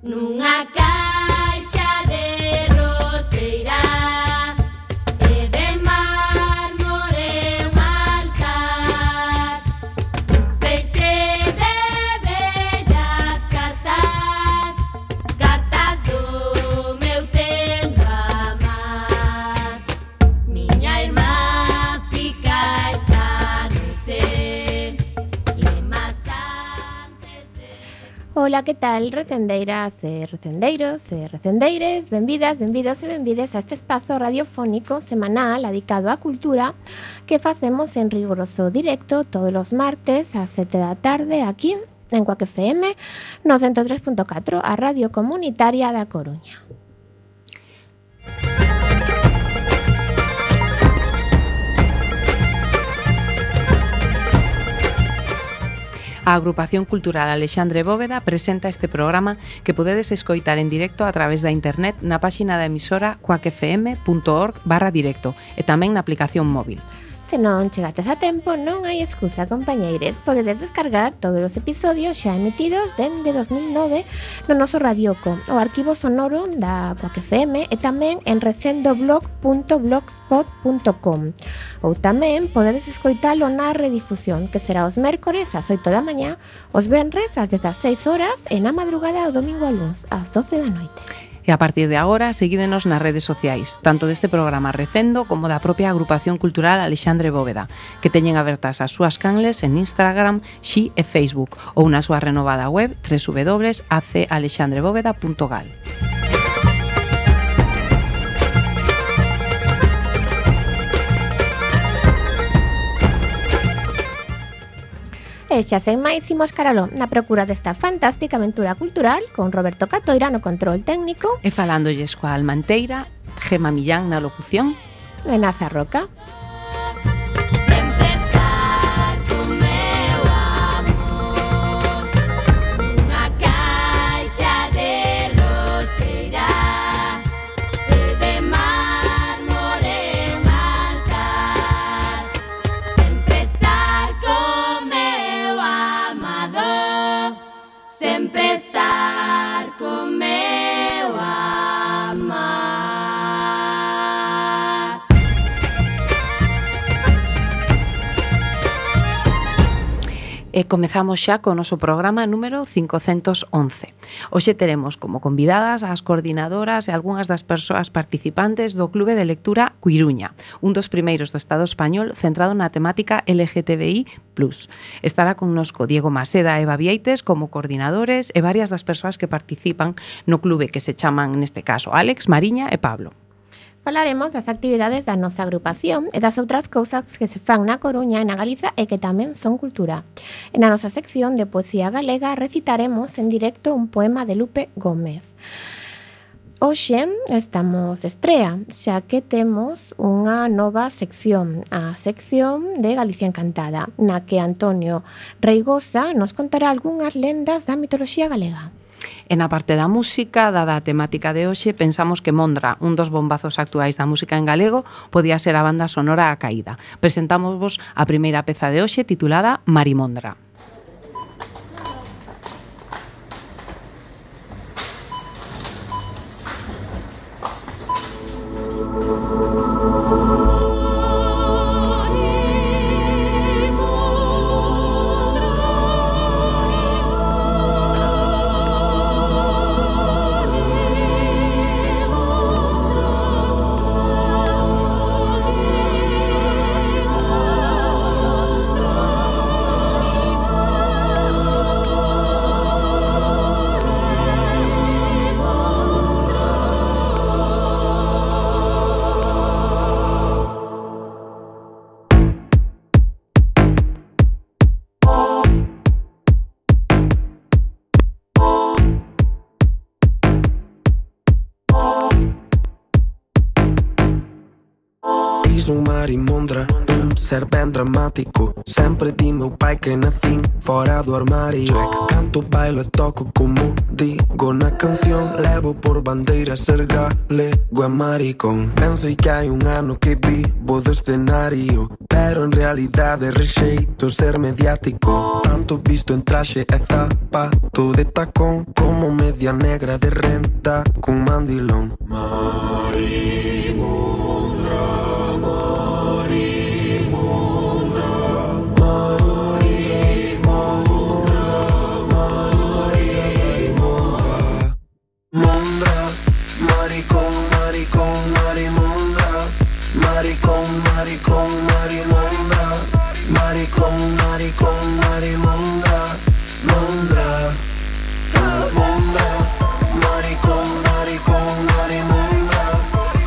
Nunha caixa de roseira e de mármore un altar, un feixe de bellas cartas, cartas do meu tempo amar. Miña irmá fica esta noite, lemas antes de... Ola, que tal, recendeiras e recendeiros e recendeires? Benvidas, benvidos e benvides a este espazo radiofónico semanal dedicado á cultura que facemos en riguroso directo todos os martes ás 7 da tarde aquí en Cuac FM no 103.4, a radio comunitaria da Coruña. A Agrupación Cultural Alexandre Bóveda presenta este programa que podedes escoitar en directo a través da internet na páxina da emisora cuacfm.org/directo e tamén na aplicación móvil. Se non chegates a tempo, non hai excusa, compañeires. Podedes descargar todos os episodios xa emitidos dende 2009 no noso radioco, o arquivo sonoro da Cuac FM e tamén en recendoblog.blogspot.com. Ou tamén podedes escoitalo na redifusión, que será os mércores ás 8 da mañá, os venres ás 16 horas e na madrugada o domingo a luns ás 12 da noite. E a partir de agora, seguídenos nas redes sociais, tanto deste programa Recendo como da propia Agrupación Cultural Alexandre Bóveda, que teñen abertas as súas canles en Instagram, Xi e Facebook, ou na súa renovada web www.acalexandrebóveda.gal. E xa sen máis imos caraló na procura desta fantástica aventura cultural con Roberto Catoira no control técnico E falándolles coa Almanteira, Gema Millán na locución e Naza Roca. Sempre estar con meu amor, nunha caixa de roseira e de mármore un altar. Sempre estar con meu amado, sempre estar con meu amar. E comezamos xa co noso programa número 511. Hoxe teremos como convidadas as coordinadoras e algunhas das persoas participantes do Clube de Lectura Cuiruña, un dos primeiros do Estado español centrado na temática LGTBI+. Estará connosco Diego Maseda e Eva Vieites como coordinadores e varias das persoas que participan no clube, que se chaman neste caso Alex, Mariña e Pablo. Falaremos das actividades da nosa agrupación e das outras cousas que se fan na Coruña e na Galiza e que tamén son cultura. E na nosa sección de poesía galega recitaremos en directo un poema de Lupe Gómez. Hoxe estamos de estrea, xa que temos unha nova sección, a sección de Galicia Encantada, na que Antonio Reigosa nos contará algunhas lendas da mitoloxía galega. E na parte da música, dada a temática de hoxe, pensamos que Mondra, un dos bombazos actuais da música en galego, podía ser a banda sonora A Caída. Presentámosvos a primeira peza de hoxe titulada Marimondra. un marimondra, un ser ben dramático. Sempre di meu pai que nacín fora do armario. Canto, bailo e toco como digo na canción. Levo por bandeira ser galego e maricón. Pensei que hai un ano que vivo do escenario, pero en realidade rexeito ser mediático. Tanto visto en traxe e zapato de tacón, como media negra de renta cun mandilón. Marimondra, marimondra, marimondra, marimondra. Mondra, maricón, maricón, marimondra. Maricón, maricón, marimondra. Maricón, maricón, marimondra. Mondra, mondra, maricón, maricón, marimondra.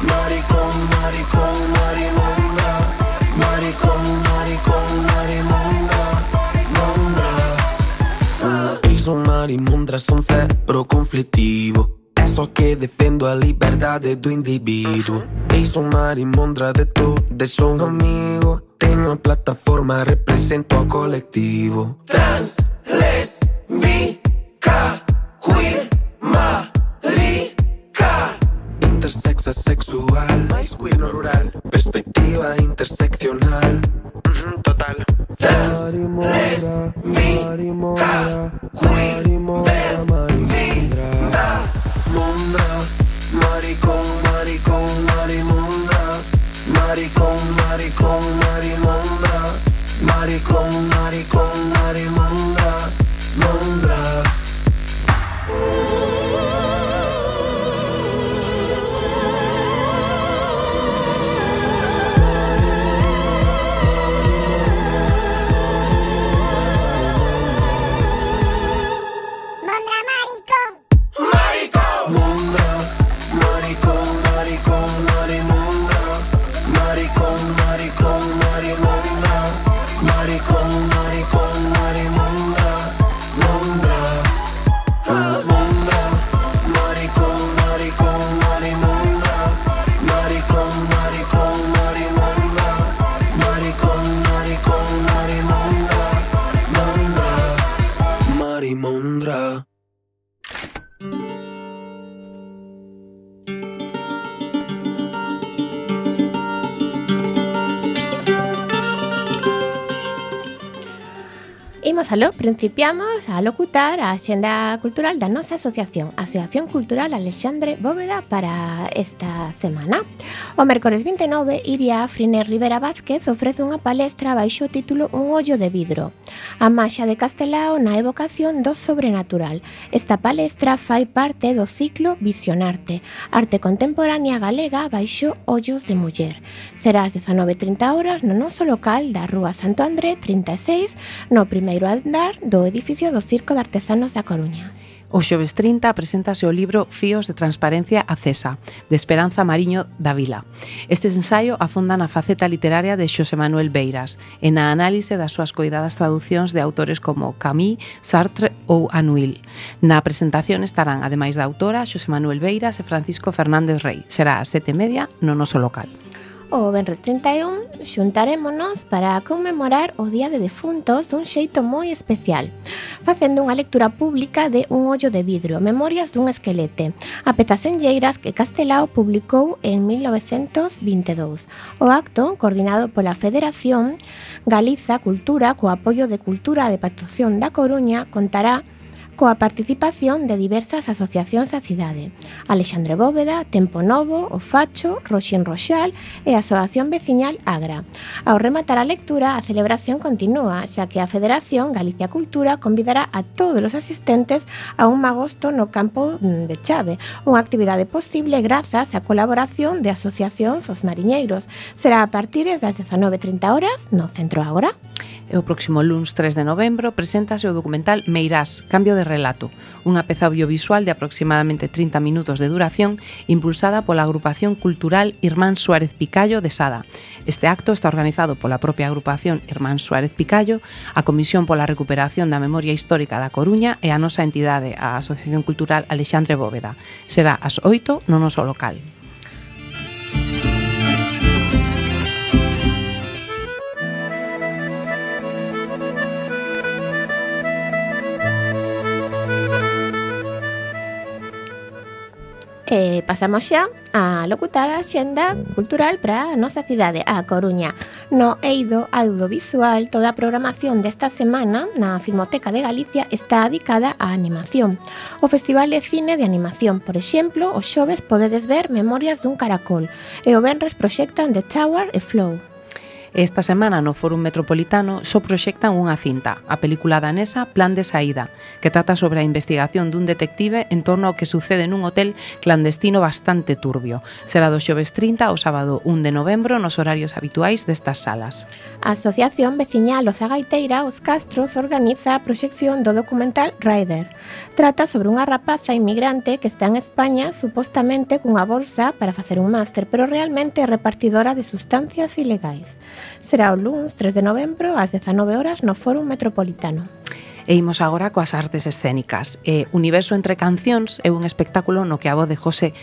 Maricón, maricón, marimondra. Maricón, maricón, marimondra. Mondra. Eles son marimondras, son cero conflitivo. É só que defendo a liberdade do indivíduo. Eles son marimondra de todos, son amigo. Tenho a plataforma, represento ao colectivo. Trans, lesbica, queer, marica. Intersexa, sexual, mais queer no rural. Perspectiva interseccional. Total. Trans, lesbica, queer, bem-vinda. Mondra, maricón, maricón, marimondra. Maricón, maricón, marimondra. Maricón, maricón, marimondra. Mondra. Marimondra. Imos aló, principiamos a locutar a Axenda Cultural da nosa asociación, Asociación Cultural Alexandre Bóveda, para esta semana. O mércores 29, Iria Friner Rivera Vázquez ofrece unha palestra baixo o título Un ollo de vidro, a maxa de Castelao na evocación do sobrenatural. Esta palestra fai parte do ciclo Visionarte, arte contemporánea galega baixo ollos de muller. Será ás 19:30 horas no noso local da Rúa Santo André 36, no primeiro andar do edificio do Circo de Artesanos da Coruña. O xoves 30 preséntase o libro Fíos de transparencia acesa, de Esperanza Mariño da Vila. Este ensaio afonda na faceta literaria de Xosé Manuel Beiras e na análise das súas coidadas traducións de autores como Camus, Sartre ou Anouilh. Na presentación estarán, ademais da autora, Xosé Manuel Beiras e Francisco Fernández Rey. Será ás 7:30 no noso local. O venres 31 xuntarémonos para conmemorar o Día de Defuntos dun xeito moi especial, facendo unha lectura pública de Un ollo de vidro, Memorias dun esquelete, a pezas enlleiras que Castelao publicou en 1922. O acto, coordinado pola Federación Galiza Cultura co apoio de Cultura de Patroción da Coruña, contará coa participación de diversas asociacións da cidade: Alexandre Bóveda, Tempo Novo, O Facho, Roxín Roxal e a Asociación Veciñal Agra. Ao rematar a lectura, a celebración continúa, xa que a Federación Galicia Cultura convidará a todos os asistentes a un magosto no campo de Chave, unha actividade posible grazas á colaboración de asociacións Os Mariñeiros. Será a partir das 19:30 horas no Centro Ágora. E o próximo luns 3 de novembro preséntase o documental Meirás, Cambio de relato, unha peza audiovisual de aproximadamente 30 minutos de duración impulsada pola agrupación cultural Irmán Suárez Picallo de Sada. Este acto está organizado pola propia agrupación Irmán Suárez Picallo, a Comisión pola Recuperación da Memoria Histórica da Coruña e a nosa entidade, a Asociación Cultural Alexandre Bóveda. Será ás 8 no noso local. Pasamos xa a locutar a xenda cultural para a nosa cidade, a Coruña. No eido audiovisual, toda a programación desta semana na Filmoteca de Galicia está dedicada á animación. O Festival de Cine de Animación, por exemplo, os xoves podedes ver Memorias dun caracol e o venres proxectan The Tower e Flow. Esta semana no Fórum Metropolitano só proxectan unha cinta, a película danesa Plan de Saída, que trata sobre a investigación dun detective en torno ao que sucede nun hotel clandestino bastante turbio. Será do xoves 30 ao sábado 1 de novembro nos horarios habituais destas salas. A Asociación Veciñal Ozagaiteira Os Castros organiza a proxección do documental Rider. Trata sobre unha rapaza inmigrante que está en España supostamente cunha bolsa para facer un máster, pero realmente é repartidora de sustancias ilegais. Será o luns 3 de novembro ás 19 horas no Fórum Metropolitano. E imos agora coas artes escénicas. Universo entre cancións é un espectáculo no que a voz de José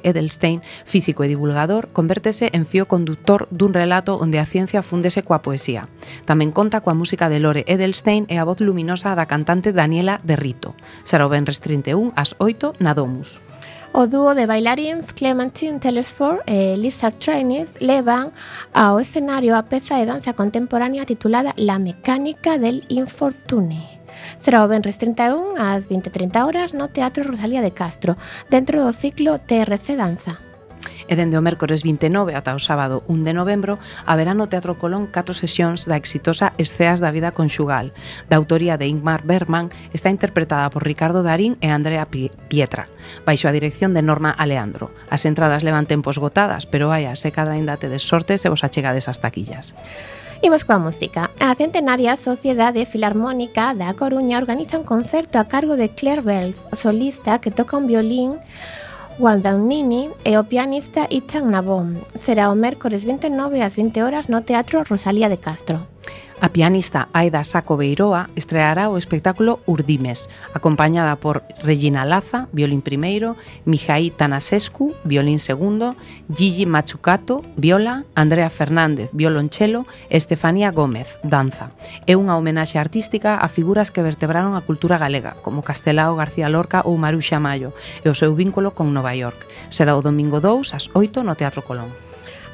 Edelstein, físico e divulgador, convértese en fío conductor dun relato onde a ciencia fúndese coa poesía. Tamén conta coa música de Lore Edelstein e a voz luminosa da cantante Daniela de Rito. Será o venres 31 ás 8 na Domus. O dúo de bailaríns Clementine Telesford e Lisa Trainis levan ao escenario a peza de danza contemporánea titulada La mecánica del infortune. Será o venres 31 ás 20:30 horas no Teatro Rosalía de Castro, dentro do ciclo TRC Danza. E dende o mércores 29 ata o sábado 1 de novembro haberá no Teatro Colón 4 sesións da exitosa Esceas da vida conxugal, da autoría de Ingmar Bergman, está interpretada por Ricardo Darín e Andrea Pietra, baixo a dirección de Norma Aleandro. As entradas levan tempo esgotadas, pero vaia, se cada ainda tedes sorte se vos achegades as taquillas. Imos coa música. A centenaria Sociedade Filarmónica da Coruña organiza un concerto a cargo de Claire Bells, o solista que toca un violín Guadagnini e o pianista Ethan Nabón. Será o mércores 29 ás 20 horas no Teatro Rosalía de Castro. A pianista Aida Saco Beiroa estreará o espectáculo Urdimes, acompañada por Regina Laza, violín primeiro, Mijaí Tanasescu, violín segundo, Gigi Machucato, viola, Andrea Fernández, violonchelo e Estefanía Gómez, danza. É unha homenaxe artística a figuras que vertebraron a cultura galega, como Castelao García Lorca ou Maruxa Mayo, e o seu vínculo con Nova York. Será o domingo 2 ás 8 no Teatro Colón.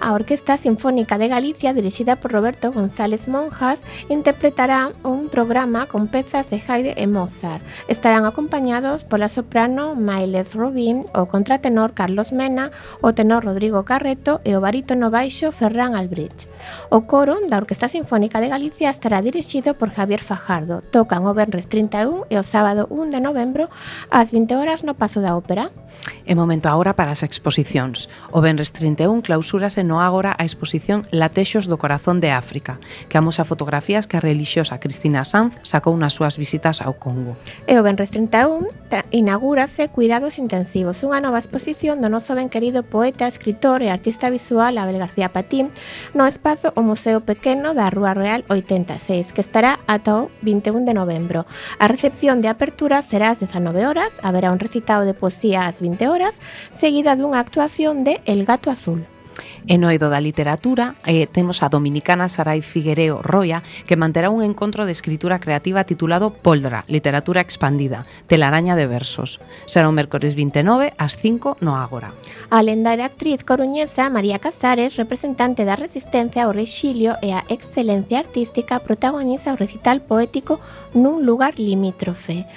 A Orquesta Sinfónica de Galicia, dirixida por Roberto González Monjas, interpretará un programa con pezas de Haydn e Mozart. Estarán acompañados pola soprano Mailes Robín, o contratenor Carlos Mena, o tenor Rodrigo Carreto e o barítono baixo Ferran Albrich. O coro da Orquesta Sinfónica de Galicia estará dirixido por Javier Fajardo. Tocan o venres 31 e o sábado 1 de novembro ás 20 horas no Pazo da Ópera. É momento agora para as exposicións. O venres 31 clausúrase no Ágora a exposición Latexos do Corazón de África, que amosa fotografías que a relixiosa Cristina Sanz sacou nas súas visitas ao Congo. E o venres 31 inaugúrase Cuidados Intensivos, unha nova exposición do noso ben querido poeta, escritor e artista visual Abel García Patín no espazo o Museo Pequeno da Rúa Real 86, que estará ata o 21 de novembro. A recepción de apertura será ás 19 horas, haberá un recitado de poesía ás 20 horas, seguida dunha actuación de El Gato Azul. E no eido da literatura temos a dominicana Sarai Figuereo Roya, que manterá un encontro de escritura creativa titulado Poldra, Literatura Expandida, telaraña de versos. Será o mércores 29 ás 5 no Ágora. A lendaria actriz coruñesa María Casares, representante da resistencia ao rexilio e a excelencia artística, protagoniza o recital poético Nun lugar limítrofe.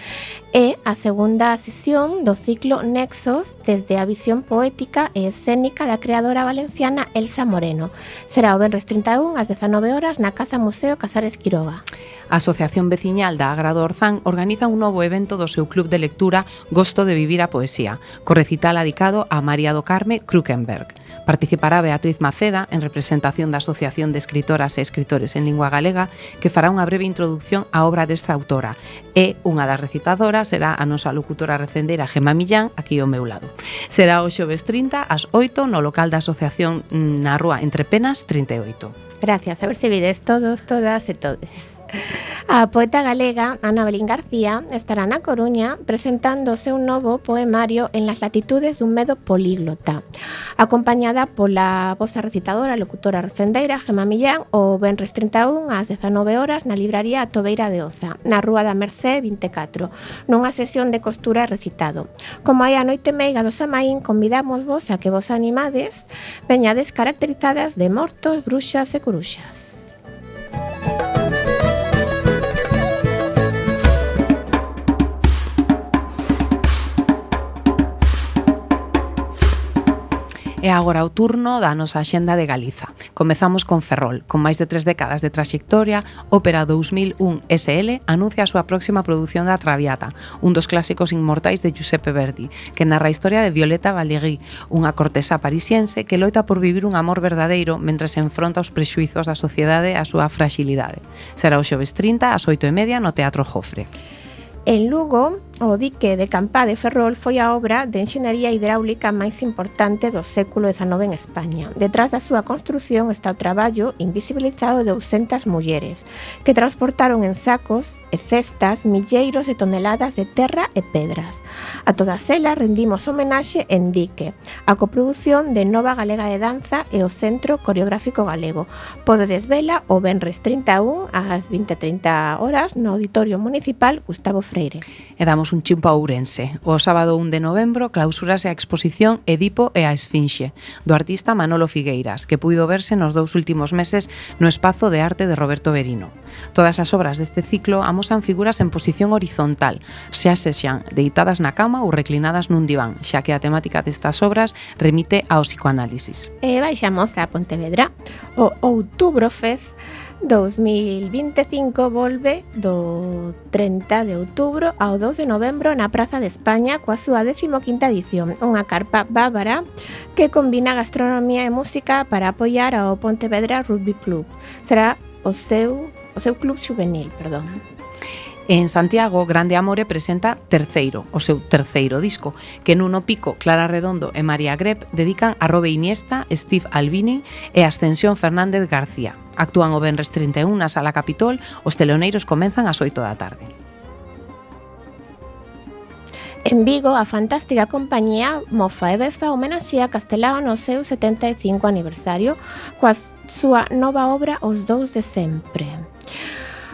É a segunda sesión do ciclo Nexos desde a visión poética e escénica da creadora valenciana Elsa Moreno. Será o venres 31 ás 19 horas na Casa Museo Casares Quiroga. A Asociación Veciñal da Agra do Orzán organiza un novo evento do seu club de lectura Gosto de vivir a poesía, co recital adicado a María do Carme Krukenberg. Participará Beatriz Maceda en representación da Asociación de Escritoras e Escritores en Lingua Galega, que fará unha breve introducción á obra desta autora. E unha das recitadoras será a nosa locutora recendeira Gemma Millán, aquí ao meu lado. Será o xoves 30 ás 8 no local da Asociación na Rúa Entre Penas 38. Gracias, a ver se vides todos, todas e todes. A poeta galega Ana Belín García estará na Coruña presentando o seu novo poemario En las latitudes dun medo políglota, acompañada pola vosa recitadora e locutora recendeira Gemma Millán o venres 31 ás 19 horas na libraría A Tobeira de Oza, na Rúa da Mercé 24, nunha sesión de costura e recitado. Como hai a noite meiga do Samaín, convidamos vos a que vos animades, veñades caracterizadas de mortos, bruxas e coruxas. E agora o turno da nosa axenda de Galiza. Comezamos con Ferrol. Con máis de 3 décadas de traxectoria, Ópera 2001 SL anuncia a súa próxima produción da Traviata, un dos clásicos inmortais de Giuseppe Verdi, que narra a historia de Violeta Valéry, unha cortesa parisiense que loita por vivir un amor verdadeiro mentre se enfronta aos prexuizos da sociedade e a súa fragilidade. Será o xoves 30 ás 8:30 no Teatro Jofre. En Lugo, o dique de Campá de Ferrol foi a obra de enxeñería hidráulica máis importante do século XIX en España. Detrás da súa construción está o traballo invisibilizado de 200 mulleres que transportaron en sacos e cestas milleiros de toneladas de terra e pedras. A todas elas rendimos homenaxe en Dique, a coproducción de Nova Galega de Danza e o Centro Coreográfico Galego. Podedes vela o venres 31 ás 20:30 horas no Auditorio Municipal Gustavo Freire. E damos un chimpo a Ourense. O sábado 1 de novembro clausurase a exposición Edipo e a Esfinxe, do artista Manolo Figueiras, que puido verse nos 2 últimos meses no Espazo de Arte de Roberto Berino. Todas as obras deste ciclo amosan figuras en posición horizontal, xa sexan deitadas na cama ou reclinadas nun diván, xa que a temática destas obras remite ao psicoanálisis. E baixamos a Pontevedra. O Outubrofest 2025 volve do 30 de outubro ao 2 de novembro na Praza de España coa súa 15ª edición, unha carpa bávara que combina gastronomía e música para apoiar ao Pontevedra Rugby Club. Será o seu club juvenil, perdón. En Santiago, Grande Amore presenta Terceiro, o seu terceiro disco, que Nuno Pico, Clara Redondo e María Grep dedican a Robe Iniesta, Steve Albini e Ascensión Fernández García. Actúan o venres 31 na Sala Capitol, os teloneiros comenzan ás 8 da tarde. En Vigo, a fantástica compañía Mofa e Befa homenaxea Castelao no seu 75 aniversario coa súa nova obra Os Dous de Sempre.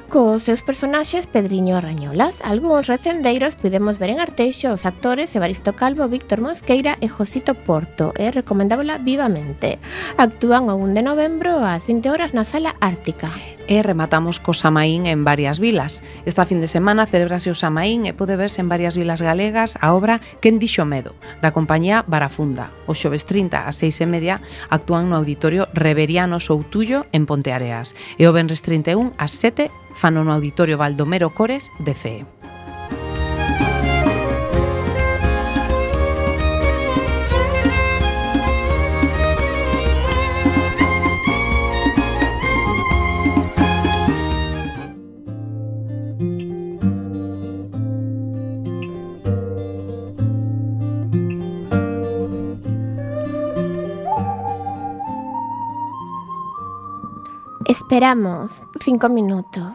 Cos seus personaxes Pedriño e Rañolas, algúns recendeiros podemos ver en Arteixo os actores Evaristo Calvo, Víctor Mosqueira e Josito Porto, e recomendábola vivamente. Actúan o 1 de novembro ás 20 horas na Sala Ártica. E rematamos co Samaín en varias vilas. Esta fin de semana celebrase o Samaín e pode verse en varias vilas galegas a obra Quen dixo medo, da compañía Barafunda. O xoves 30 ás 6:30 actúan no Auditorio Reveriano Soutullo en Ponteareas e o venres 31 ás 7 fano no Auditorio Baldomero Cores de CEE. Esperamos 5 minutos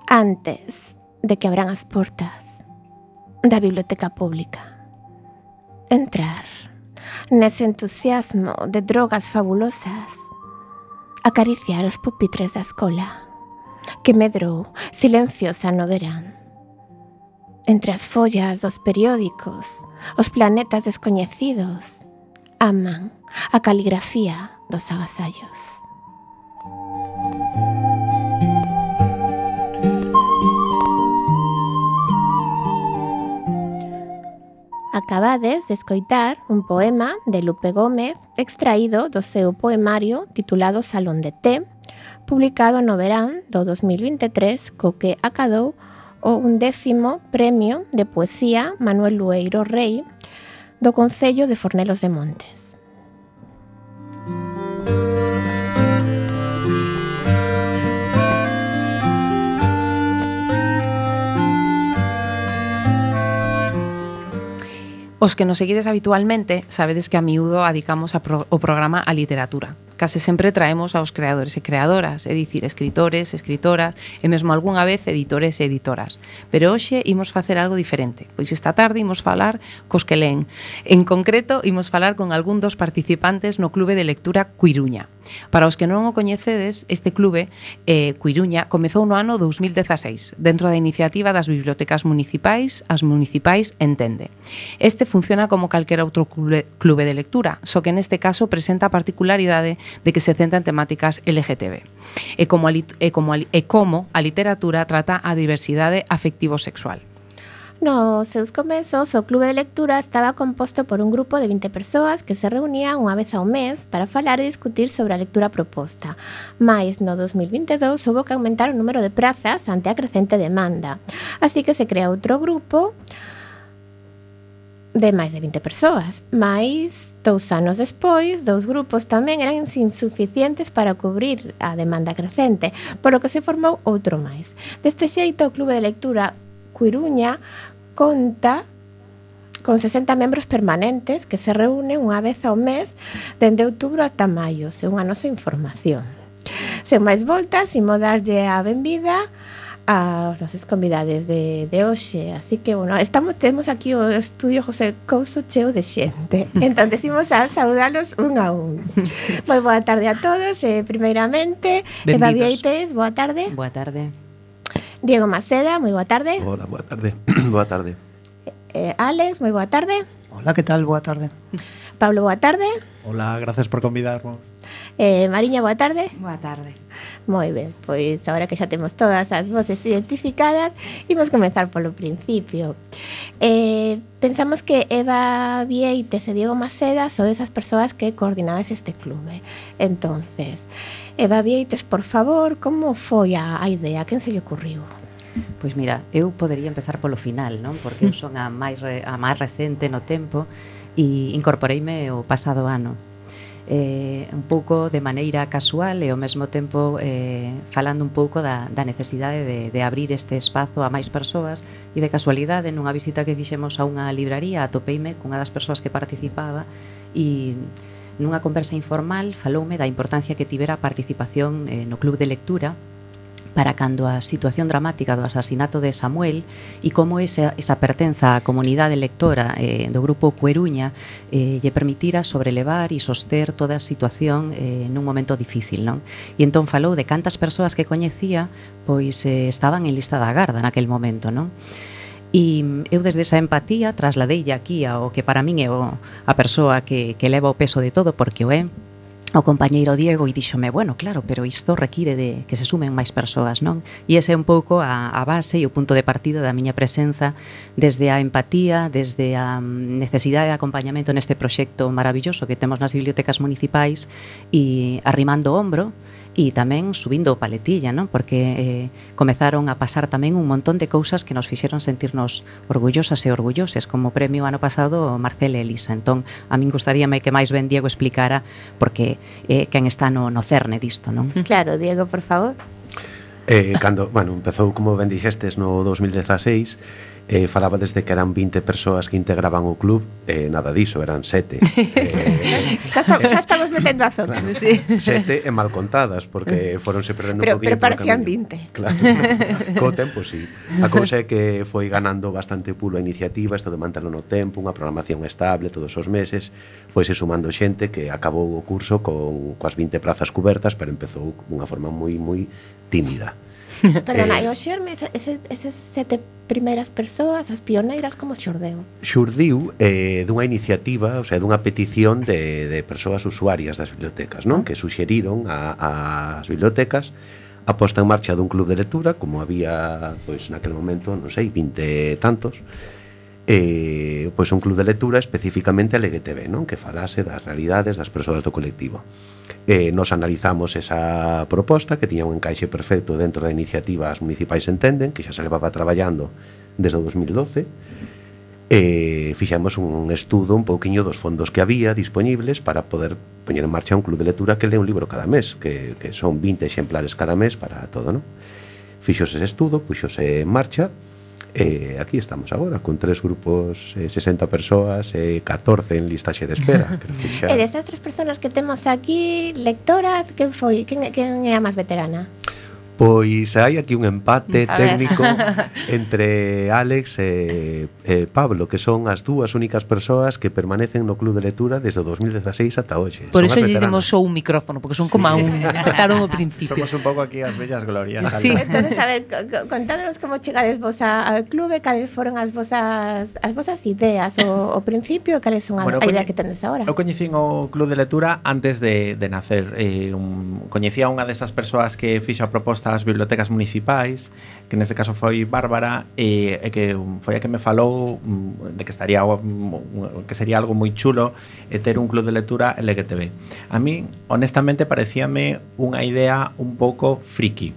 antes de que abran as portas da biblioteca pública. Entrar nese entusiasmo de drogas fabulosas, acariciar os pupitres da escola que medrou silenciosa no verán. Entre as follas dos periódicos, os planetas descoñecidos aman a caligrafía dos agasallos. Acabades de escoitar un poema de Lupe Gómez extraído do seu poemario titulado Salón de Té, publicado no verán do 2023, co que acadou o 11º Premio de Poesía Manuel Lueiro Rei do Concello de Fornelos de Montes. Os que nos seguides habitualmente sabedes que a miúdo adicamos o programa á literatura. case sempre traemos aos creadores e creadoras, é dicir, escritores, escritoras e mesmo algunha vez editores e editoras. Pero hoxe imos facer algo diferente, pois esta tarde imos falar cos que len. En concreto, imos falar con algún dos participantes no Clube de Lectura Cuiruña. Para os que non o coñecedes, este clube, Cuiruña, comezou no ano 2016, dentro da iniciativa das bibliotecas municipais, as municipais Entende. Este funciona como calquera outro clube de lectura, só que neste caso presenta a particularidade de que se centra en temáticas LGTB. E como a literatura trata a diversidade afectivo-sexual. Nos seus comezos, o Clube de Lectura estaba composto por un grupo de 20 persoas que se reunían unha vez ao mes para falar e discutir sobre a lectura proposta. Mais, no 2022, houve que aumentar o número de prazas ante a crecente demanda. Así que se crea outro grupo de máis de 20 persoas. Mais, 2 anos despois, 2 grupos tamén eran insuficientes para cubrir a demanda crecente, polo que se formou outro máis. Deste xeito, o Clube de Lectura Cuiruña conta con 60 membros permanentes que se reúnen unha vez ao mes dende outubro ata maio, según a nosa información. Sen máis voltas, imos darlle a benvida aos nosos convidades de hoxe. Así que, bueno, temos aquí o estudio José Couso cheo de xente. Entón, decimos a saudalos un a un. Moi boa tarde a todos. Primeiramente, Eva Vieites, boa tarde. Boa tarde. Diego Maceda, moi boa tarde. Hola, boa tarde. Boa tarde. Alex, moi boa tarde. Hola, que tal? Boa tarde. Pablo, boa tarde. Hola, gracias por convidarnos. Mariña, boa tarde. Boa tarde. Moi ben, pois agora que xa temos todas as voces identificadas, imos comenzar polo principio. Pensamos que Eva Vieites e Diego Maceda son esas persoas que coordinades este clube. Entonces, Eva Vieites, por favor, como foi a idea? Quen se lle ocurriu? Pois mira, eu podería empezar polo final, non? Porque eu son a máis recente no tempo e incorporeime o pasado ano. Un pouco de maneira casual e ao mesmo tempo falando un pouco da necesidade de abrir este espazo a máis persoas, e de casualidade nunha visita que fixemos a unha libraría atopeime cunha das persoas que participaba e nunha conversa informal faloume da importancia que tivera a participación no club de lectura para cando a situación dramática do asasinato de Samuel e como esa pertenza á comunidade lectora do grupo Cuiruña lle permitira sobrelevar e soster toda a situación nun momento difícil, non? E entón falou de cantas persoas que coñecía pois estaban en lista da garda naquel momento, non? E eu desde esa empatía trasladeille aquí ao que para min é a persoa que leva o peso de todo, porque o é o compañeiro Diego, e díxome, bueno, claro, pero isto require de que se sumen máis persoas, non? E ese é un pouco a base e o punto de partida da miña presenza, desde a empatía, desde a necesidade de acompañamento neste proxecto maravilloso que temos nas bibliotecas municipais, e arrimando o ombro, e tamén subindo o paletilla, non? Porque comezaron a pasar tamén un montón de cousas que nos fixeron sentirnos orgullosas e orgulloses, como premio ano pasado Marcela e Elisa. Entón, a min gustaríame que máis ben Diego explicara porque quen está no cerne disto, non? Claro, Diego, por favor. Cando, bueno, empezou, como ben dixestes, no 2016, falaba desde que eran 20 persoas que integraban o club, nada diso, eran 7. Xa estamos metendo a zona. Claro, sí. 7 e mal contadas, porque foronse perdendo un poquinho. Pero parecían 20. Claro, co tempo, sí. A cousa é que foi ganando bastante pulo a iniciativa, isto de mantelo no tempo, unha programación estable todos os meses, foise sumando xente que acabou o curso coas 20 prazas cubertas, pero empezou dunha forma moi tímida. Perdona, e o xerme, esas 7 primeiras persoas, as pioneiras, como xordeu? Xurdiu dunha iniciativa, o sea, dunha petición de persoas usuarias das bibliotecas, non? Que suxeriron ás bibliotecas a posta en marcha dun club de lectura, como había, pois, naquele momento, non sei, 20 tantos, pois un club de lectura especificamente LGTB, non? Que falase das realidades das persoas do colectivo. Nos analizamos esa proposta que tiña un encaixe perfecto dentro da iniciativa As Municipais Entenden, que xa se levaba traballando desde o 2012. Fixemos un estudo un pouquiño dos fondos que había disponibles para poder poñer en marcha un club de lectura que lee un libro cada mes, que son 20 exemplares cada mes para todo, non? Fixose ese estudo, puxose en marcha Aquí estamos agora, con 3 grupos, 60 persoas, 14 en listaxe de espera. E destas 3 persoas que temos aquí, lectoras, quen é a máis veterana? Pois hai aquí un empate A ver. técnico entre Alex e Pablo, que son as dúas únicas persoas que permanecen no Club de Lectura desde o 2016 ata hoxe. Por Son eso as lle demos veteranas. só un micrófono, porque son como a un, empezaron ao principio. Somos un pouco aquí as bellas glorias. Sí. Entonces, a ver, contádenos como chegades vos ao clube, cales foron as vosas ideas o principio, cales son a idea que tendes agora. Eu coñecín o Club de Lectura antes de nacer. Coñecía unha desas persoas que fixo a proposta ás bibliotecas municipais, que neste caso foi Bárbara, e que foi a que me falou de que estaría que sería algo moi chulo ter un club de lectura LGTB. A mí, honestamente, parecíame unha idea un pouco friki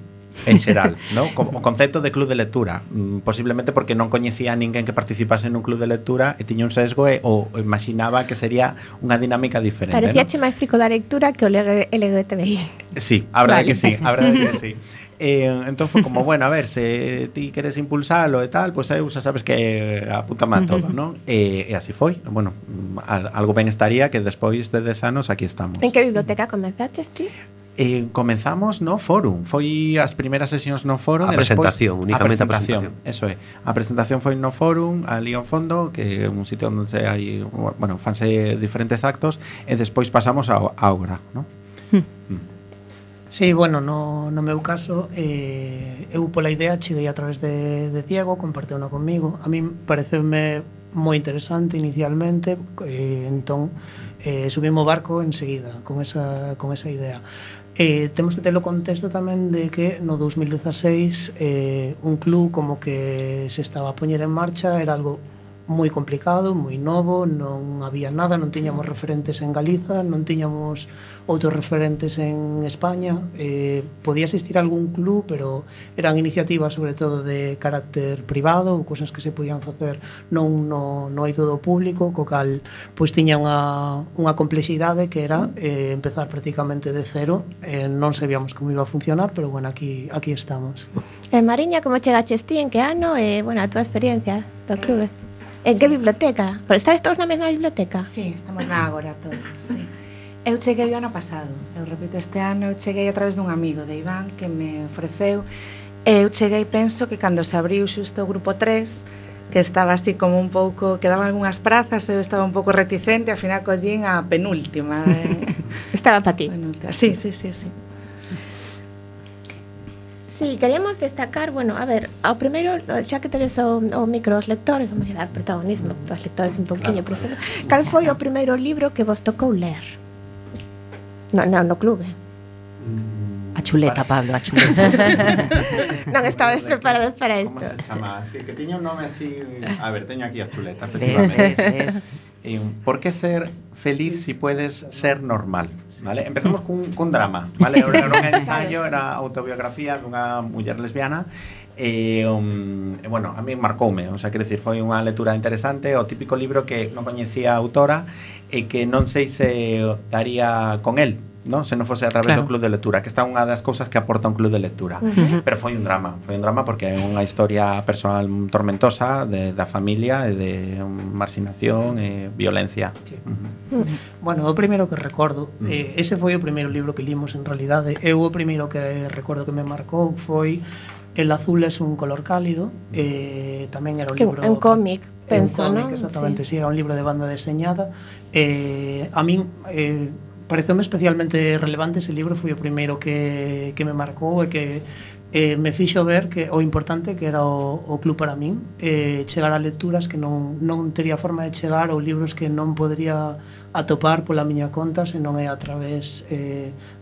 en xeral, ¿no? O concepto de club de lectura, posiblemente porque non coñecía a ninguén que participase nun club de lectura e tiña un sesgo o imaginaba que sería unha dinámica diferente, Parecíache máis frico da lectura que o LGTBI. Sí, a verdade Vale. que sí, a verdade que sí. Entón foi como, bueno, a ver, se ti queres impulsalo e tal, pois eu xa sabes que apúntame a todo, non? E así foi. Bueno, algo ben estaría que despois de 10 anos aquí estamos. En que biblioteca comenzaches ti? Comenzamos no Fórum. Foi as primeiras sesións no Fórum A e despois presentación, únicamente a presentación. Eso é. A presentación foi no Fórum, ali ao fondo, que é un sitio onde hai, bueno, fanse diferentes actos, e despois pasamos a Ágora, non? Sí, bueno, no meu caso eu pola idea cheguei a través de Diego, comparteu una comigo. A mí pareceume moi interesante inicialmente, entón subimos o barco enseguida con esa idea. Temos que ter o contexto tamén de que no 2016 un club como que se estaba a poñer en marcha, era algo moi complicado, moi novo, non había nada, non tiñamos referentes en Galiza, non tiñamos outros referentes en España. Podía existir algún club, pero eran iniciativas sobre todo de carácter privado, ou cousas que se podían facer non no eido do público, co cal pois tiña unha complexidade que era empezar prácticamente de cero. Non sabíamos como iba a funcionar, pero bueno, aquí estamos. Mariña, como chegaches ti, en que ano? Bueno, a túa experiencia do clube. En que biblioteca? Pero estáis todos na mesma biblioteca? Sí, estamos na Ágora todos, sí. Eu cheguei o ano pasado, eu repito este ano, eu cheguei a través dun amigo de Iván que me ofreceu. Eu cheguei, penso que cando se abriu xusto o grupo 3, que estaba así como un pouco, quedaban algunhas prazas, eu estaba un pouco reticente, ao final collín a penúltima. Estaba para ti. Penúltima. Sí. Sí, queríamos destacar, bueno, a ver, ao primeiro, xa que tedes o micro aos lectores, vamos a dar protagonismo aos lectores un pouquinho, por exemplo. Cal foi o primeiro libro que vos tocou ler? No clube. A chuleta, Pablo, a chuleta. Non estabas preparados para isto. Como se chama? Así, que tiña un nome así... A ver, teño aquí a chuleta, efectivamente. Ves. ¿Por qué ser feliz si puedes ser normal? ¿Vale? Empezamos cun drama, ¿vale? Era un ensayo, era autobiografía dunha muller lesbiana. Bueno, a mí marcoume, o sea, quero dicir, foi unha lectura interesante, o típico libro que non coñecía a autora e que non sei se daría con el, ¿no? Se non fose a través do club de lectura, que está unha das cousas que aporta un club de lectura. Pero foi un drama porque é unha historia personal tormentosa da familia e de marxinación e violencia. Sí. Bueno, o primeiro que recordo, ese foi o primeiro libro que limos en realidade. Eu o primeiro que recordo que me marcou foi El azul es un color cálido, tamén era un libro... Un cómic, penso, non? Exactamente, sí, era un libro de banda deseñada. A min... pareceume especialmente relevante ese libro, foi o primeiro que me marcou e que me fixo ver que o importante que era o club para min, chegar a lecturas que non teria forma de chegar, ou libros que non podría atopar pola miña conta, senón é a través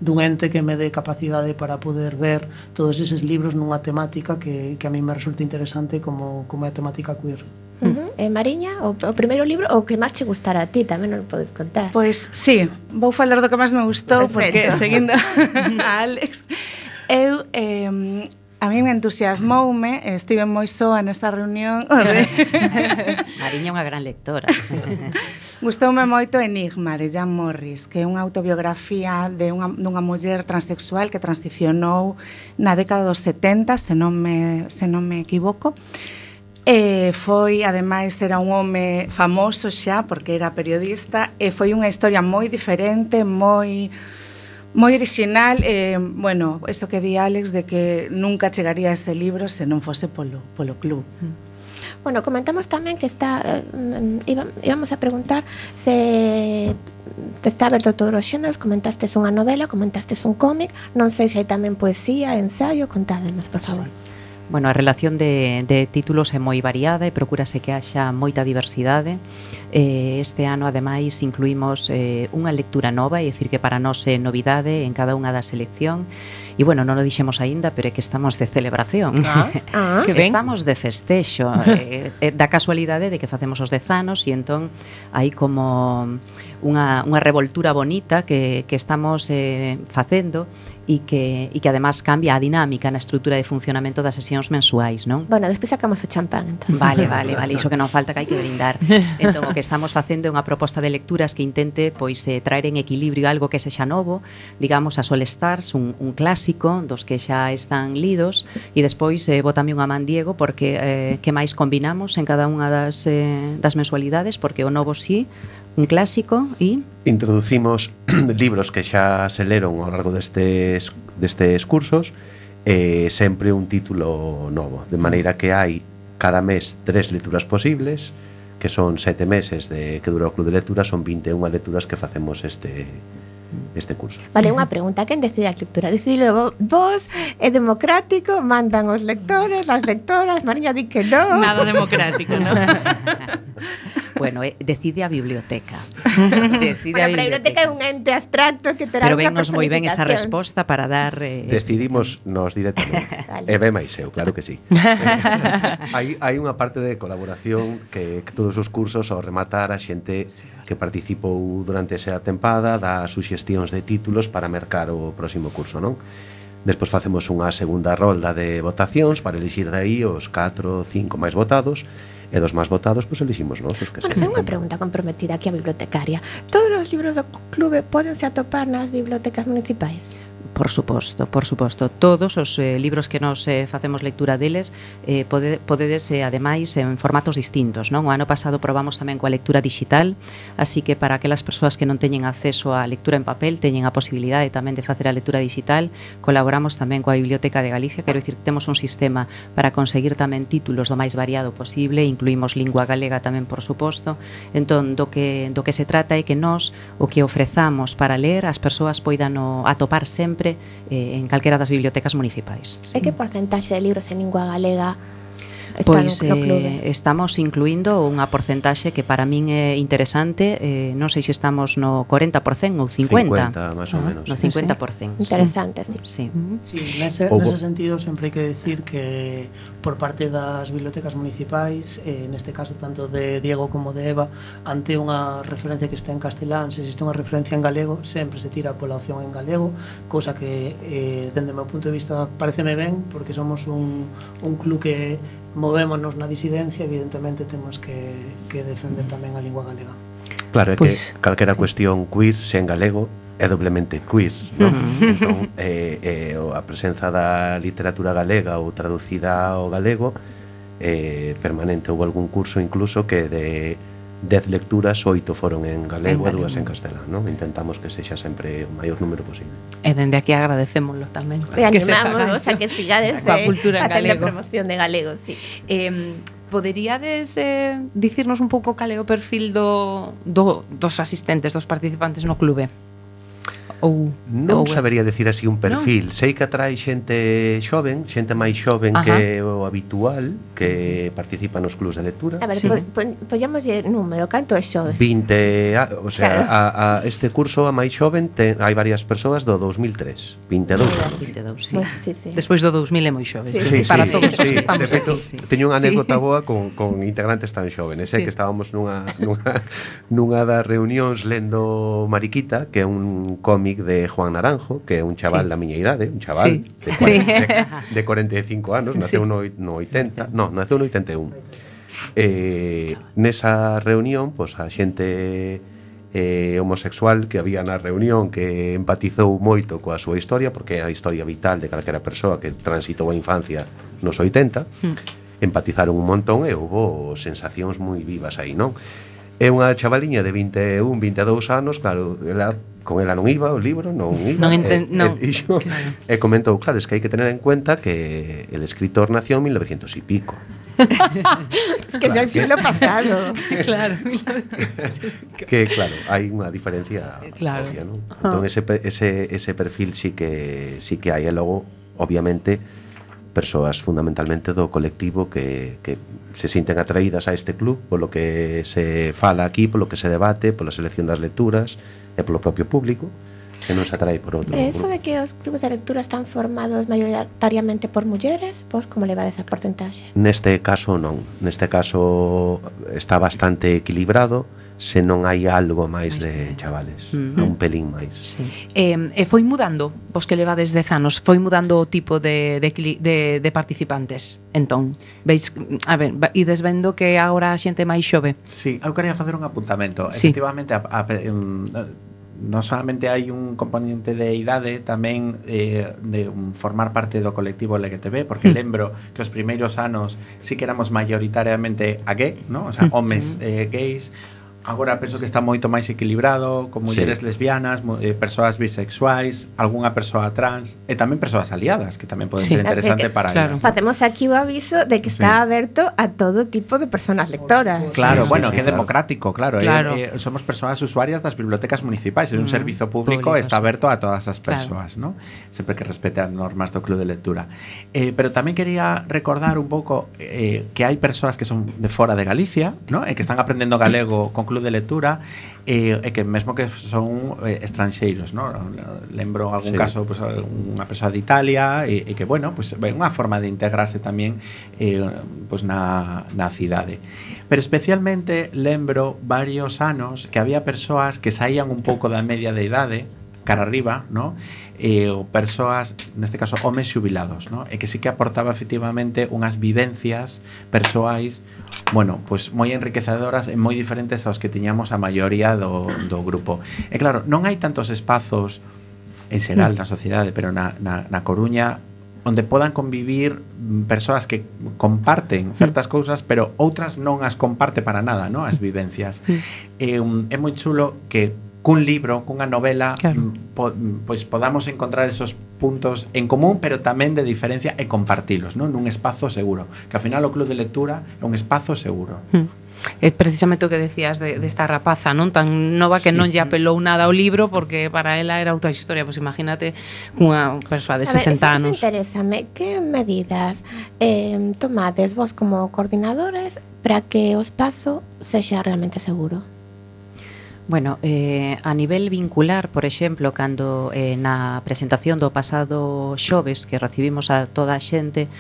dun ente que me dé capacidade para poder ver todos eses libros nunha temática que a mí me resulta interesante como é a temática queer. Mariña, o primeiro libro, o que máis che gustara a ti, tamén non podes contar. Pois sí, vou falar do que máis me gustou. Perfecto. Porque seguindo a Alex, eu a mí me entusiasmoume, estive moi soa nesta reunión. Mariña é unha gran lectora. Sí. Gustoume moito Enigma, de Jan Morris, que é unha autobiografía dunha muller transexual que transicionou na década dos 70, se non me equivoco. Foi, ademais, era un home famoso xa, porque era periodista, e foi unha historia moi diferente, moi original, bueno, eso que di Alex de que nunca chegaría a ese libro se non fose polo club. Bueno, comentamos tamén que íbamos a preguntar se está aberto todos os xéneros. Comentastes unha novela, comentastes un cómic, non sei se hai tamén poesía, ensayo, contádenos, por favor. Bueno, a relación de títulos é moi variada e procúrase que haxa moita diversidade. Este ano, ademais, incluímos unha lectura nova, é dicir, que para nós é novidade en cada unha da selección. E, bueno, non o dixemos aínda, pero é que estamos de celebración. Que ben. Estamos de festexo. Da casualidade de que facemos os 10 anos e entón hai como unha revoltura bonita que estamos facendo e que además cambia a dinámica na estrutura de funcionamento das sesións mensuais, non? Bueno, despois sacamos o champán, entón. Vale, iso que non falta, que hai que brindar. Entón, o que estamos facendo é unha proposta de lecturas que intente pois traer en equilibrio algo que sexa novo, digamos, a Sol Stars, un clásico dos que xa están lidos, e despois botame unha man Diego, porque que máis combinamos en cada unha das mensualidades, porque o novo sí, un clásico e... Introducimos libros que xa se leron ao largo destes cursos, sempre un título novo, de maneira que hai cada mes 3 lecturas posibles, que son 7 meses que dura o Club de Lectura, son 21 lecturas que facemos este curso. Vale, unha pregunta, quen decide a lectura? Decidilo vos, é democrático, mandan os lectores, as lectoras, Mariña di que non. Nada democrático, non? Bueno, decide a biblioteca. Decide a biblioteca é un ente abstracto que terá pero unha vennos moi ben esa personificación. resposta para dar... Decidimos nos directamente. Vale. E ben máis eu, claro que sí. Hai unha parte de colaboración que todos os cursos ao rematar a xente que participou durante esa tempada dá suxestións de títulos para mercar o próximo curso, non? Despois facemos unha segunda rolda de votacións para elixir dai os 4 ou 5 máis votados, e dos máis votados, pois eliximos nós os que Bueno, ten unha pregunta comprometida aquí a bibliotecaria. Todos os libros do clube pódense atopar nas bibliotecas municipais? Por suposto. Todos os libros que nos facemos lectura deles podedes, ademais, en formatos distintos, non? O ano pasado probamos tamén coa lectura digital, así que para aquelas persoas que non teñen acceso á lectura en papel, teñen a posibilidade tamén de facer a lectura digital. Colaboramos tamén coa Biblioteca de Galicia, quero dicir que temos un sistema para conseguir tamén títulos do máis variado posible, incluímos lingua galega tamén, por suposto. Entón, do que se trata é que nós o que ofrezamos para ler as persoas poidan atopar sempre en calquera das bibliotecas municipais. E que porcentaxe de libros en lingua galega Pois estamos incluindo unha porcentaxe que para min é interesante, non sei se estamos no 40% ou 50%. 50, máis ou menos. No 50%. Interesante, sí. Sí, nese sentido sempre hai que decir que por parte das bibliotecas municipais, neste caso tanto de Diego como de Eva, ante unha referencia que está en castelán, se existe unha referencia en galego, sempre se tira pola opción en galego, cousa que, dende o meu punto de vista, pareceme ben, porque somos un club que movémonos na disidencia, evidentemente temos que defender tamén a lingua galega. Claro, é pues, que calquera cuestión queer, se en galego, é doblemente queer, non? Entón, a presenza da literatura galega ou traducida ao galego permanente. Houve algún curso incluso que de 10 lecturas, 8 foron en galego e 2 en castelán, non? Intentamos que sexa sempre o maior número posible. E dende aquí agradecémoslo tamén. E animamos a que sigades a cultura en galego. Promoción de galego, sí. Poderíades dicirnos un pouco cal é o perfil dos asistentes, dos participantes no clube? Non sabería decir así un perfil. Sei que atrae xente xoven, xente máis xoven que o habitual, que participa nos clubs de lectura. A ver, poñamoslle número, canto é xoven? 20, o sea, claro. Este curso a máis xoven hai varias persoas do 2003, 22. Sí. Pues, sí. Despois do 2000 é moi xove, para todos os que estamos aquí. Teño unha anécdota boa con integrantes tan xóvenes, que estábamos nunha das reunións lendo Mariquita, que é un cómic de Juan Naranjo, que é un chaval da miña idade, un chaval de 45 anos, naceu no 80, naceu no 81. Nesa reunión, pois a xente homosexual que había na reunión que empatizou moito coa súa historia, porque é a historia vital de calquera persoa que transitou a infancia nos 80, empatizaron un montón e houve sensacións moi vivas aí, non? É unha chavaliña de 21, 22 anos, claro, con ela non iba o libro, non iba. E comentou, claro, es que hai que tener en cuenta que el escritor nació en 1900 y pico. Es que claro, es el siglo pasado. Claro. Que claro, hai unha diferencia obvia, non? Entón ese perfil sí que hai, e logo, obviamente, persoas fundamentalmente do colectivo que se sinten atraídas a este club polo que se fala aquí, polo que se debate, pola selección das lecturas e polo propio público, que non se atrae por outro. Eso de que os clubes de lectura están formados maioritariamente por mulleres, pois como levades a porcentaxe? Neste caso non, neste caso está bastante equilibrado, se non hai algo máis de chavales, un pelín máis. Sí. E foi mudando, vos que levades 10 anos, foi mudando o tipo de participantes. Entón, veis, a ver, ides vendo que agora a xente máis xove. Sí, eu quería facer un apuntamento. Sí. Efectivamente, non solamente hai un componente de idade, tamén de formar parte do colectivo LGTB, porque lembro que os primeiros anos sí que éramos maioritariamente a gay, ¿no? O sea, homes gays. Agora penso que está moito máis equilibrado, con mulleres lesbianas, persoas bisexuais, algunha persoa trans e tamén persoas aliadas, que tamén poden ser interesante para elas. Facemos aquí o aviso de que está aberto a todo tipo de persoas lectoras. Claro, bueno, que é democrático, claro. Somos persoas usuarias das bibliotecas municipais, é un servizo público, está aberto a todas as persoas, ¿no? Sempre que respete as normas do Club de Lectura. Pero tamén quería recordar un pouco que hai persoas que son de fora de Galicia, ¿no? E que están aprendendo galego con Club de Lectura e que mesmo que son estranxeiros, ¿no? Lembro algún caso, pues, unha persoa de Italia e que, bueno, pues, unha forma de integrarse tamén pues, na cidade. Pero especialmente lembro varios anos que había persoas que saían un pouco da media de idade cara arriba, ¿no? Ou persoas, neste caso, homes xubilados, ¿no? E que sí que aportaba efectivamente unhas vivencias persoais, bueno, pues moi enriquecedoras e moi diferentes aos que tiñamos a maioría do grupo. E claro, non hai tantos espazos en xeral na sociedade, pero na Coruña onde podan convivir persoas que comparten certas cousas, pero outras non as comparte para nada, ¿no? As vivencias. É moi chulo que cun libro, cunha novela, pois podamos encontrar esos puntos en común, pero tamén de diferencia e compartilos, non? Nun espazo seguro, que ao final o Club de Lectura é un espazo seguro. É precisamente o que decías desta rapaza, non tan nova, que non lle apelou nada ao libro porque para ela era outra historia. Pois imagínate unha persoa de 60 anos. Interésame, que medidas tomades vos como coordinadores para que o espazo sexa realmente seguro? Bueno, a nivel vincular, por exemplo, cando na presentación do pasado xoves que recibimos a toda a xente,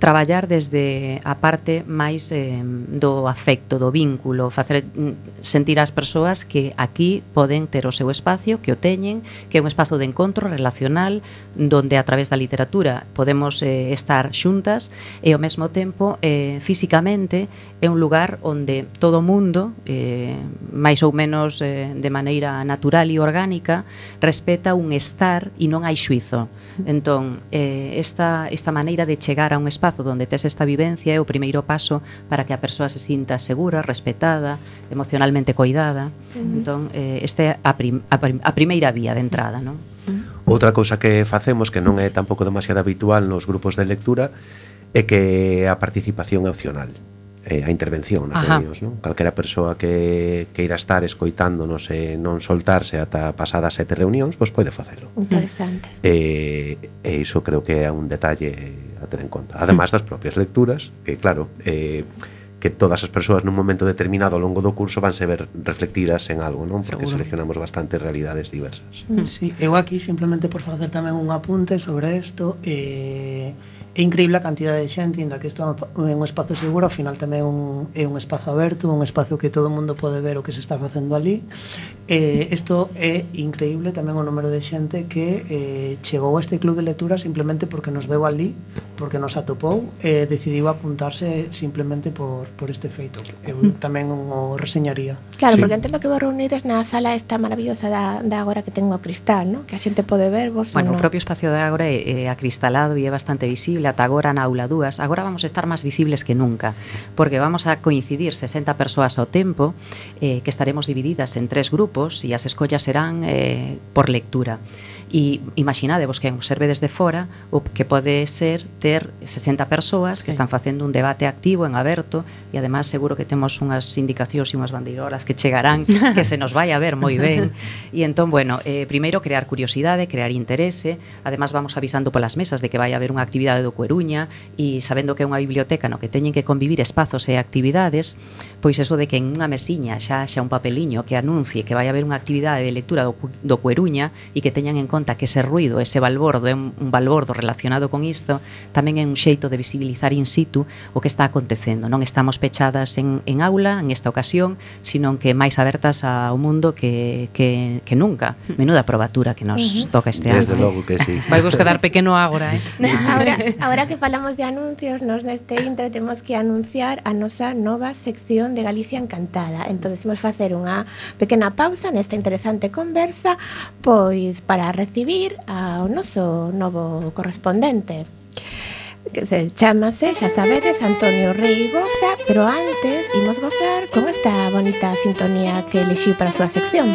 traballar desde a parte máis do afecto, do vínculo, facer sentir ás persoas que aquí poden ter o seu espacio, que o teñen, que é un espazo de encontro relacional donde a través da literatura podemos estar xuntas e ao mesmo tempo físicamente é un lugar onde todo o mundo máis ou menos de maneira natural e orgánica respeta un estar e non hai xuizo. Entón, esta maneira de chegar a un espazo donde tes esta vivencia é o primeiro paso para que a persoa se sinta segura, respetada, emocionalmente coidada. Entón, esta é a primeira vía de entrada, non? Outra cousa que facemos, que non é tampouco demasiado habitual nos grupos de lectura, é que a participación é opcional. A intervención nas reunións, non? Calquera persoa que queira estar escoitándonos e non soltarse ata pasadas 7 reunións, pois pode facelo. Interesante. E iso creo que é un detalle a ter en conta. Ademais das propias lecturas, que claro, que todas as persoas nun momento determinado ao longo do curso vanse ver reflectidas en algo, non? Porque seleccionamos bastantes realidades diversas. Sí, eu aquí simplemente por facer tamén un apunte sobre isto, é increíble a cantidade de xente, inda que isto é un espazo seguro, ao final tamén é un espazo aberto, un espazo que todo o mundo pode ver o que se está facendo ali. Isto é increíble tamén o número de xente que chegou a este club de lectura simplemente porque nos veu ali, porque nos atopou e decidiu apuntarse simplemente por este feito. Eu tamén o reseñaría. Claro, Sí. porque entendo que vos reunides na sala esta maravillosa da Ágora que ten o cristal, ¿no? Que a xente pode ver vos. Bueno, no? o propio espacio de Ágora é acristalado e é bastante visible. Ata agora na aula 2, agora vamos a estar máis visibles que nunca, porque vamos a coincidir 60 persoas ao tempo, que estaremos divididas en 3 grupos e as escollas serán por lectura. E imaginadevos que observe desde fora o que pode ser ter 60 persoas que están facendo un debate activo en aberto e además seguro que temos unhas indicacións e unhas bandeirolas que chegarán que se nos vai a ver moi ben e entón, bueno, primeiro crear curiosidade, crear interese, además vamos avisando polas mesas de que vai haber unha actividade do Coruña e sabendo que é unha biblioteca no que teñen que convivir espazos e actividades, pois eso de que en unha mesiña xa un papeliño que anuncie que vai haber unha actividade de lectura do Coruña e que teñan en conta que ese ruido, ese balbordo é un balbordo relacionado con isto, tamén é un xeito de visibilizar in situ o que está acontecendo. Non estamos pechadas en aula en esta ocasión, sino que máis abertas ao mundo que nunca. Menuda probatura que nos toca este ano. Desde logo que sí. Vai vos quedar pequeno Ágora, Ahora que falamos de anuncios, nos neste intre temos que anunciar a nosa nova sección de Galicia Encantada. Entón, imos facer unha pequena pausa nesta interesante conversa, pois para recibir ao noso novo correspondente, que se chamase, xa sabedes, Antonio Reigosa, pero antes imos gozar con esta bonita sintonía que elixiu para a súa sección.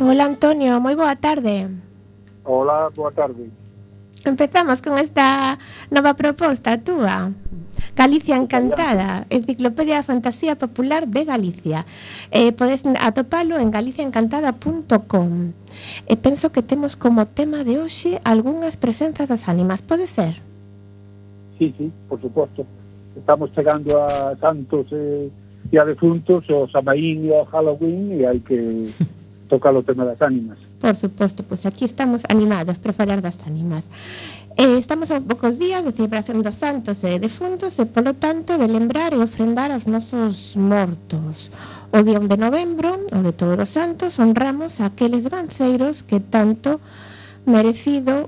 Hola Antonio, moi boa tarde. Hola, boa tarde. Empezamos con esta nova proposta túa. Galicia Encantada, Enciclopedia da Fantasía Popular de Galicia. Podes atopalo en galiciaencantada.com. Penso que temos como tema de hoxe algunhas presenças das ánimas, pode ser? Sí, por suposto. Estamos chegando a santos e a defuntos, o Samaín e o Halloween, e hai que tocar o tema das ánimas. Por suposto, pois aquí estamos animados para falar das ánimas. Estamos a poucos días de celebración dos santos e defuntos e, polo tanto, de lembrar e ofrendar aos nosos mortos. O día 1 de novembro, o de todos os santos, honramos a aqueles ganceiros que tendo merecido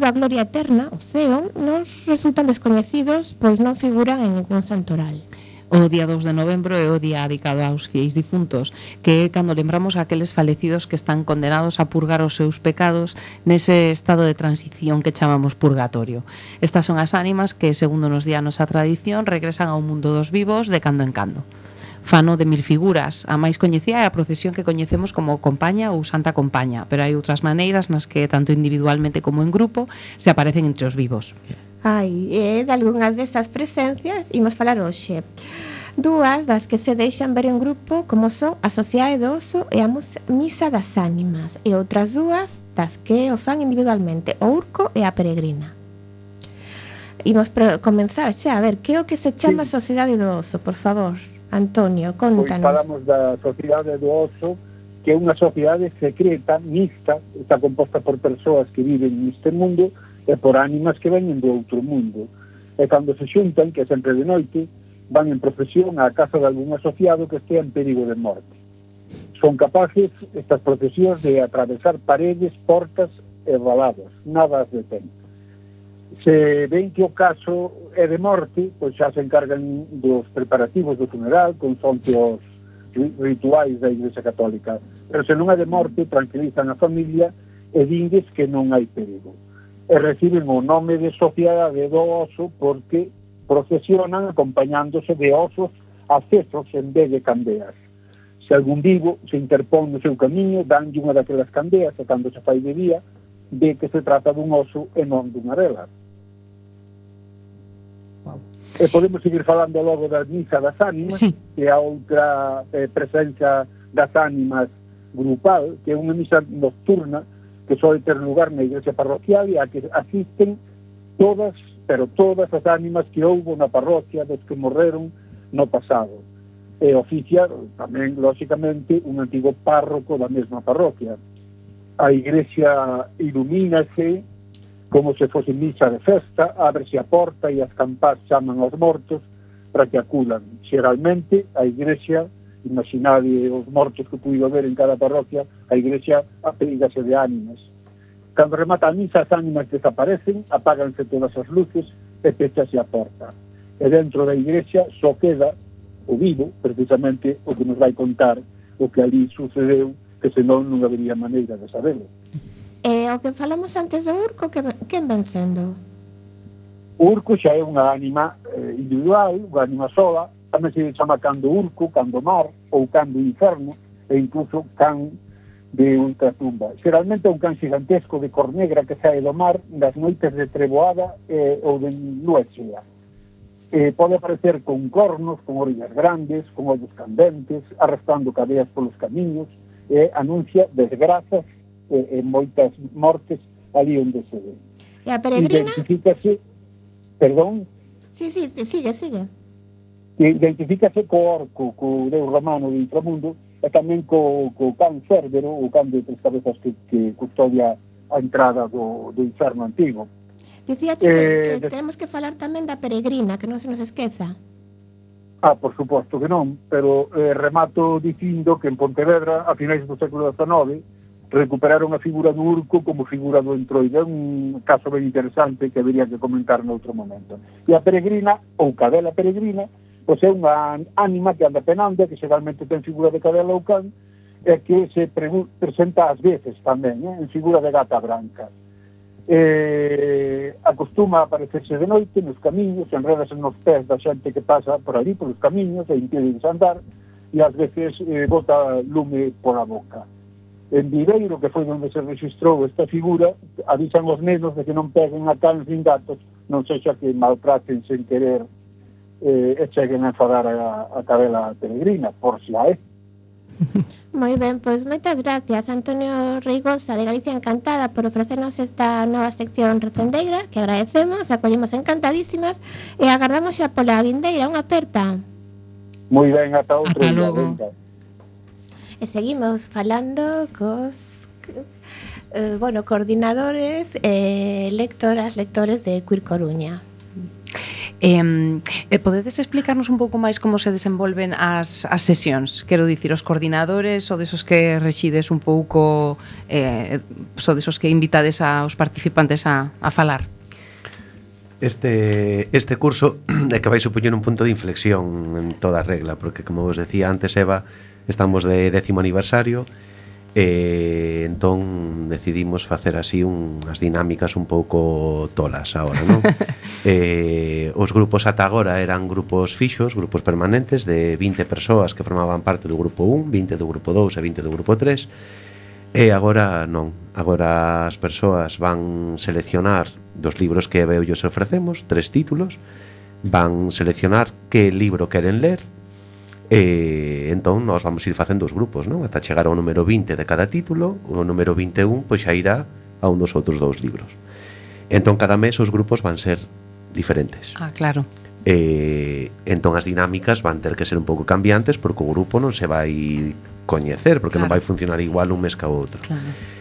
a gloria eterna, o ceo, nos resultan descoñecidos, pois non figuran en ningún santoral. O día 2 de novembro é o día dedicado aos fieis difuntos, que é cando lembramos a aqueles falecidos que están condenados a purgar os seus pecados nese estado de transición que chamamos purgatorio. Estas son as ánimas que, segundo nos di a nosa tradición, regresan ao mundo dos vivos de cando en cando. Fano de 1000 figuras, a máis coñecida é a procesión que coñecemos como Compaña ou Santa Compaña, pero hai outras maneiras nas que, tanto individualmente como en grupo, se aparecen entre os vivos. De algunhas desas presencias imos falar hoxe. Dúas das que se deixan ver en grupo, como son a Sociedade do Oso e a Misa das Ánimas, e outras dúas das que o fan individualmente, o Urco e a Peregrina. Imos comenzar xa, a ver, que é o que se chama Sociedade do Oso, por favor, Antonio, contanos. Pois falamos da Sociedade do Oso, que é unha sociedade secreta, mixta, está composta por persoas que viven neste mundo e por ánimas que veñen do outro mundo. E cando se xuntan, que é sempre de noite, van en procesión á casa de algún asociado que estea en perigo de morte. Son capaces estas procesións de atravesar paredes, portas e valadas, nada as detén. Se ven que o caso é de morte, pois xa se encargan dos preparativos do funeral, consoante os rituais da Igrexa Católica. Pero se non é de morte, tranquilizan a familia e dindes que non hai perigo. E reciben o nome de Sociedade do Oso porque procesionan acompañándose de osos accesos en vez de candeas. Se algún vivo se interpón no seu camiño, danlle unha daquelas candeas e cando se fai de día, ve que se trata dun oso e non dunha vela. E podemos seguir falando logo da Misa das Ánimas, sí, que é a outra presenza das ánimas grupal, que é unha misa nocturna que soe ter lugar na igrexa parroquial e a que asisten todas as ánimas que houbo na parroquia dos que morreron no pasado. E oficia tamén, lóxicamente, un antigo párroco da mesma parroquia. A igrexa ilumínase como se fose misa de festa, ábrese a porta e as campás chaman aos mortos para que acudan. Xeralmente, a igrexa, imaginade os mortos que puido ver en cada parroquia, a igrexa aprígase de ánimas. Cando remata a misa, as ánimas desaparecen, apáganse todas as luces e pechase a porta. E dentro da igrexa só queda o vivo, precisamente o que nos vai contar o que ali sucedeu, que senón non habería maneira de saberlo. O que falamos antes do urco, quen ven sendo? O urco xa é unha ánima individual, unha ánima sola, tamén se chama can do urco, can do mar, ou can do inferno, e incluso can de ultratumba. Xeralmente é un can gigantesco de cor negra que sae do mar das noites de treboada ou de lúa chea. Pode aparecer con cornos, con orillas grandes, con ollos candentes, arrastrando cadeas polos camiños, e anuncia desgrazas e moitas mortes ali onde se ve. E a peregrina? Identifícase, perdón? Sí, sigue. Identifícase co orco, co deus romano do inframundo, e tamén co can Cérbero, o can de tres cabezas que custodia a entrada do inferno antigo. Dicía que tenemos que falar tamén da peregrina, que non se nos esqueza. Por suposto que non, pero remato dicindo que en Pontevedra, a finais do século XIX, recuperaron a figura do urco como figura do entroide. É un caso ben interesante que habería que comentar noutro momento. E a peregrina, ou cadela peregrina, pois é unha ánima que anda penando, que xeralmente ten figura de cadela ou can, e que se presenta ás veces tamén, en figura de gata branca. Acostuma a aparecerse de noite nos camiños, enredase nos pés da xente que pasa por ali, polos camiños, e impide andar, e ás veces bota lume pola boca. En Viveiro, que foi onde se registrou esta figura, avisan os nenos de que non peguen a cans nin gatos, non sexa que maltraten sen querer e cheguen a enfadar a cadela peregrina, por si a é. Moi ben, pois moitas gracias Antonio Reigosa de Galicia Encantada por ofrecernos esta nova sección recendeira, que agradecemos, acollemos encantadísimas e agardamos xa pola vindeira, unha aperta. Moi ben, ata outro Ata día. logo. Venga. E seguimos falando cos coordinadores e lectores de Queer Coruña. Podedes explicarnos un pouco máis como se desenvolven as sesións? Quero dicir, os coordinadores ou desos que rexides un pouco ou desos que invitades aos participantes a falar? Este curso é que vai supoñer un punto de inflexión en toda a regla, porque como vos decía antes, Eva, estamos de 10º aniversario e entón decidimos facer así unhas dinámicas un pouco tolas agora, non? Os grupos ata agora eran grupos fixos, grupos permanentes de 20 persoas que formaban parte do grupo 1, 20 do grupo 2 e 20 do grupo 3. E agora non, agora as persoas van seleccionar dos libros que Eva e eu ofrecemos, 3 títulos, van seleccionar que libro queren ler. E entón nós vamos ir facendo os grupos, non? Ata chegar ao número 20 de cada título. O número 21 pois xa irá a un dos outros 2 libros. Entón cada mes os grupos van ser diferentes. Claro. Entón as dinámicas van ter que ser un pouco cambiantes, porque o grupo non se vai coñecer, porque non vai funcionar igual un mes ca outro.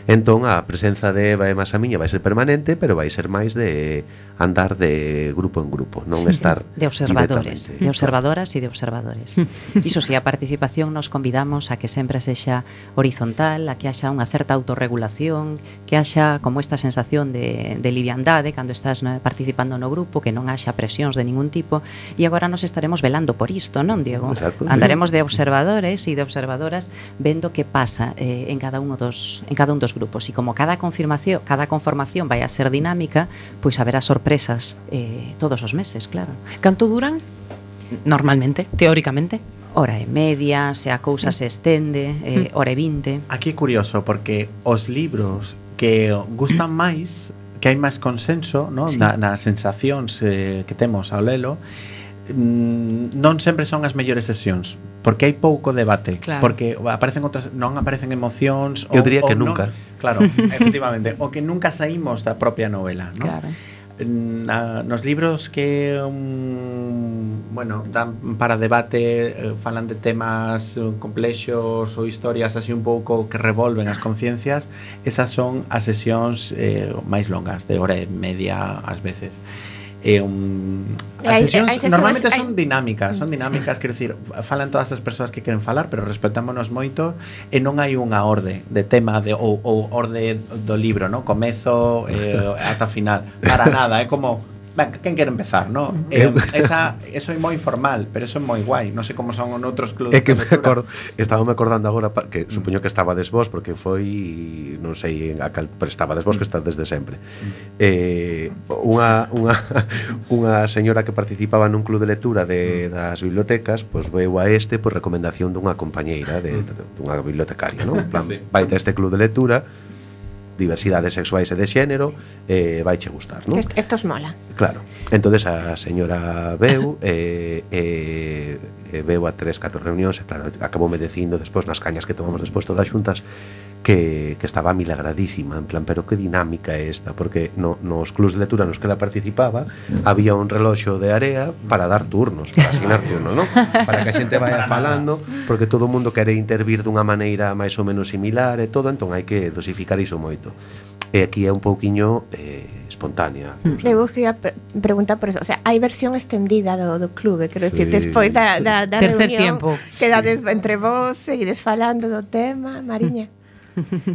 Entón a presenza de Eva e máis a miña vai ser permanente, pero vai ser máis de andar de grupo en grupo, non estar de observadores, de observadoras e de observadores. Iso si, a participación nos convidamos a que sempre sexa horizontal, a que haxa unha certa autorregulación, que haxa como esta sensación de liviandade cando estás participando no grupo, que non haxa presións de ningún tipo, e agora nos estaremos velando por isto, non, Diego? Exacto. Andaremos de observadores e de observadoras vendo que pasa en cada un dos grupos, e como cada conformación vai a ser dinámica, pois haberá sorpresas todos os meses, claro. Canto duran? Normalmente, teóricamente. Hora e media, se a cousa se estende, hora e 20. Aquí é curioso, porque os libros que gustan máis, que hai máis consenso, ¿no? nas sensacións que temos ao lelo, non sempre son as mellores sesións, porque hai pouco debate, claro. Porque aparecen outras, non aparecen emocións. Eu diría que nunca. Claro, efectivamente, o que nunca saímos da propia novela, ¿no? Claro. nos libros que bueno, dan para debate, falan de temas complexos ou historias así un pouco que revolven as conciencias, esas son as sesións máis longas, de hora e media ás veces. As sesións normalmente son dinámicas, quero dicir, falan todas as persoas que queren falar, pero respetámonos moito e non hai unha orde de tema ou orde do libro, ¿no? Comezo ata final, para nada, é como quen quere empezar, ¿no? Eso é moi informal, pero eso é moi guai. Non sei como son noutros clubes. É que me acordando agora que supoño que estabades vos porque foi non sei a cal estabades vos que estades desde sempre. Unha señora que participaba nun club de lectura das bibliotecas, pois veu a por recomendación dunha compañeira dunha bibliotecaria, ¿no? En plan, vai a este club de lectura, diversidades sexuais e de xénero, vai che gustar, non? Estos mola. Claro. Entonces a señora veu veu a 3-4 reunións e claro, acaboume dicindo despois nas cañas que tomamos despois todas xuntas que estaba milagradísima, en plan, pero que dinámica é esta, porque nos clubs de lectura nos que ela participaba había un reloxo de area para dar turnos, para asignar turnos, non? Para que a xente vaya falando, porque todo o mundo quere intervir dunha maneira máis ou menos similar e todo, entón hai que dosificar iso moito. E aquí é un pouquiño espontánea. Eu queria preguntar por eso, o sea, hai versión extendida do clube, quero dicir, despois da reunión, quedades entre vos, seguides falando do tema, Mariña.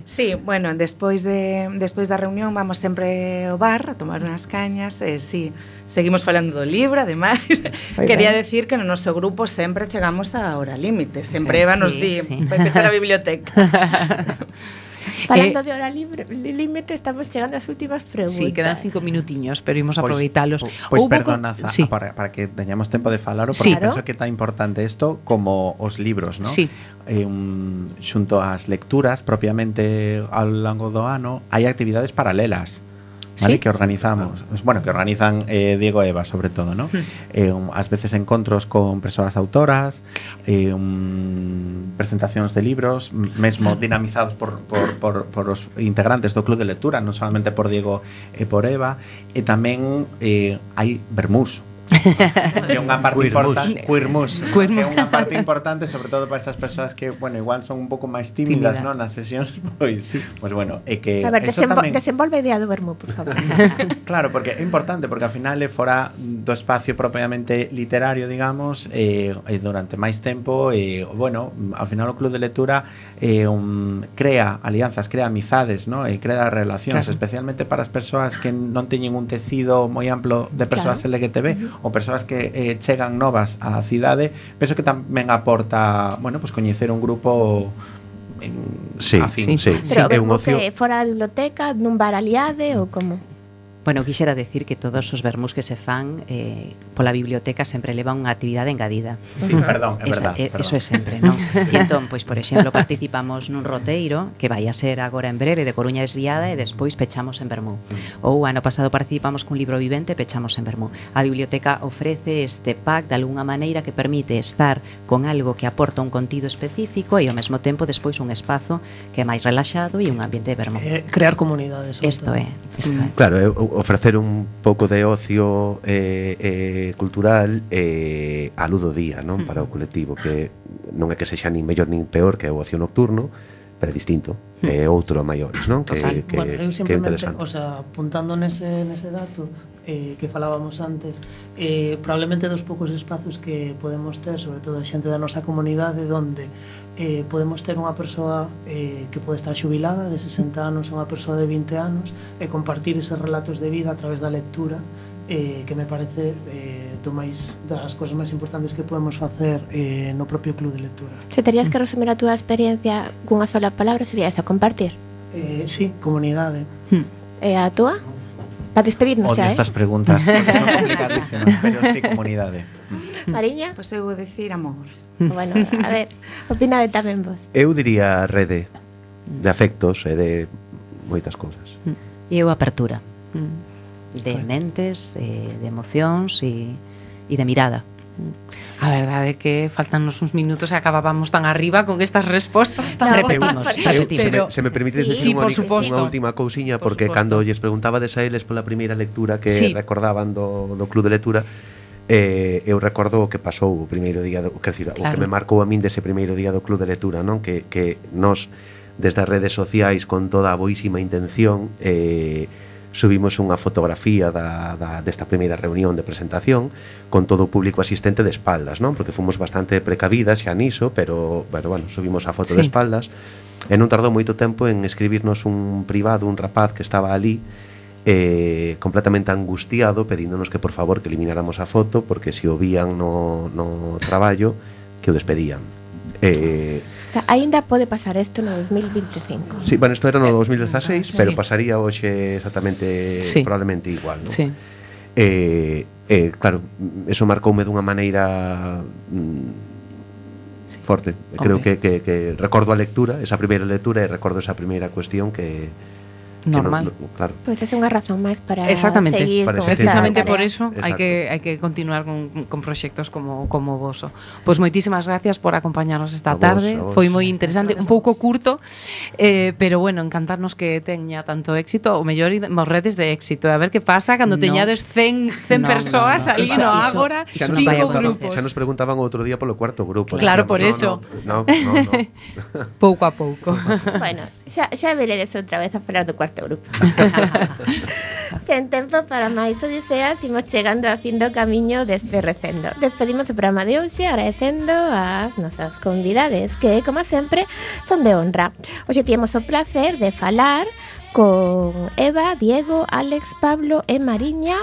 Sí, bueno, despois da reunión vamos sempre ao bar a tomar unhas cañas e sí, seguimos falando do libro, ademais. Quería decir que no noso grupo sempre chegamos á hora límite, sempre Eva nos di, vai pechar a biblioteca. Falando de hora límite, estamos chegando ás últimas preguntas. Sí, quedan 5 minutiños, pero imos aproveitalos. Pois perdonad, para que teñamos tempo de falar, porque penso que é tan importante isto como os libros, ¿no? Sí. Xunto ás lecturas propiamente ao longo do ano hai actividades paralelas, ¿vale? Que organizamos, bueno, que organizan Diego e Eva sobre todo, ¿no? Ás veces encontros con persoas autoras, presentacións de libros, mesmo dinamizados por os integrantes do club de lectura, non solamente por Diego e por Eva, e tamén hai vermús. Que é unha parte importante, queermus, que é unha parte importante sobre todo para esas persoas que, bueno, igual son un pouco máis tímidas, non, nas sesións, pois bueno, é que a ver, desenvolve a idea do vermú, por favor. Claro, porque é importante, porque ao final é fora do espacio propiamente literario, digamos, e durante máis tempo, bueno, ao final o club de lectura crea alianzas, crea amizades, ¿no? E crea relacións, especialmente para as persoas que non teñen un tecido moi amplo de persoas LGTB, ou persoas que chegan novas á cidade. Penso que tamén aporta, bueno, pues coñecer un grupo afín. Pero é un ocio fora da biblioteca, nun bar aliade ou como? Bueno, quixera decir que todos os vermús que se fan pola biblioteca sempre levan unha actividade engadida. Sí, perdón, é verdad. Eso é sempre, non? E entón, pois, por exemplo, participamos nun roteiro que vai a ser agora en breve de Coruña Desviada e despois pechamos en vermú. Ou ano pasado participamos cun libro vivente e pechamos en vermú. A biblioteca ofrece este pack de algunha maneira que permite estar con algo que aporta un contido específico e ao mesmo tempo despois un espazo que é máis relaxado e un ambiente de vermú. Crear comunidades. Isto é. Claro, ofrecer un pouco de ocio cultural a luz do día, non? Para o colectivo, que non é que sexa nin mellor nin peor que o ocio nocturno, pero é distinto, é outro a maiores, non? Bueno, eu simplemente, o sea, apuntando nese dato que falábamos antes, probablemente dos poucos espazos que podemos ter, sobre todo a xente da nosa comunidade, donde podemos ter unha persoa que pode estar xubilada de 60 anos, unha persoa de 20 anos, e compartir eses relatos de vida a través da lectura, que me parece das cousas máis importantes que podemos facer no propio club de lectura. Se terías que resumir a túa experiencia cunha sola palabra, sería esa, compartir? Sí, comunidade. E a túa? Para despedirnos xa, estas preguntas que son complicadísimas, pero sí, comunidade. Mariña? Pois eu vou decir amor. Bueno, a ver, opinade tamén vos. Eu diría rede de afectos e de moitas cousas. E eu apertura de mentes, de emocións e de mirada. A verdade é que faltannos uns minutos e acabábamos tan arriba con estas respostas tan Repetimos. Se me permites Sí, decir por suposto. unha última cousiña, Por porque suposto. cando lles preguntaba a eles pola primeira lectura que Sí. recordaban do Club de Lectura, eu recordo o que pasou o primeiro día o que Claro. me marcou a min dese primeiro día do Club de Lectura, non? Que nos desde as redes sociais con toda a boísima intención subimos unha fotografía desta primeira reunión de presentación con todo o público asistente de espaldas, non? Porque fomos bastante precavidas xa niso, pero bueno, subimos a foto de Sí. espaldas e non tardou moito tempo en escribirnos un privado, un rapaz que estaba ali completamente angustiado pedíndonos que por favor que elimináramos a foto porque se o vían no traballo que o despedían. Aínda pode pasar isto no 2025. Sí, bueno, isto era no 2016, Sí. pero pasaría hoxe exactamente Sí. probablemente igual, non? Sí. Claro, eso marcoume dunha maneira forte. Creo Hombre. que recordo a lectura, esa primeira lectura e recordo esa primeira cuestión que Normal. claro. Pois é unha razón máis para Exactamente. seguir Para con esta Precisamente tarea. por eso Exacto. hai que continuar con proxectos como o voso. Pois moitísimas gracias por acompañarnos esta A vos, tarde. a vos. Foi moi interesante, un pouco curto, pero bueno, encantarnos que teña tanto éxito, o mellor redes de éxito. A ver que pasa cando No. teñades 100 persoas ali Iso- no iso- Ágora, iso Xa non vai a 5 acontecer. grupos. Xa nos preguntaban outro día polo cuarto grupo. Claro, Dicíamos, por eso. No. Pouco a pouco. Bueno, xa veredes outra vez a falar do cuarto grupo. Sen tempo para máis odiseas, imos chegando a fin do camiño deste recendo. Despedimos o programa de hoxe agradecendo as nosas convidades, que, como sempre, son de honra. Hoxe temos o placer de falar con Eva, Diego, Alex, Pablo e Mariña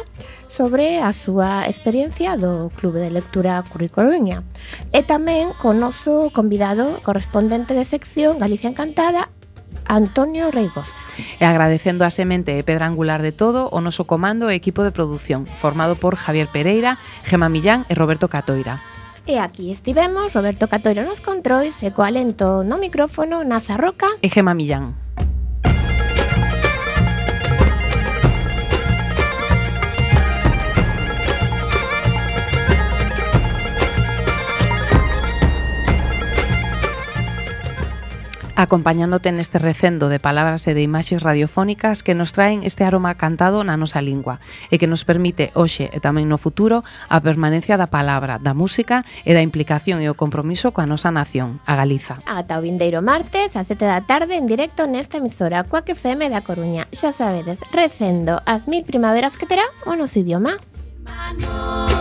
sobre a súa experiencia do Clube de Lectura Curricoruña. E tamén con o noso convidado correspondente de sección Galicia Encantada, Antonio Reigosa. E agradecendo a semente e pedra angular de todo o noso comando e equipo de produción, formado por Javier Pereira, Gema Millán e Roberto Catoira. E aquí estivemos, Roberto Catoira nos controis e co alento no micrófono Naza Roca. E Gema Millán. Acompañándote neste recendo de palabras e de imaxes radiofónicas que nos traen este aroma cantado na nosa lingua e que nos permite hoxe e tamén no futuro a permanencia da palabra, da música e da implicación e o compromiso coa nosa nación, a Galiza. Ata o vindeiro martes a 7 da tarde en directo nesta emisora Cuac FM da Coruña. Xa sabedes, recendo as 1000 primaveras que terá o noso idioma. Mano.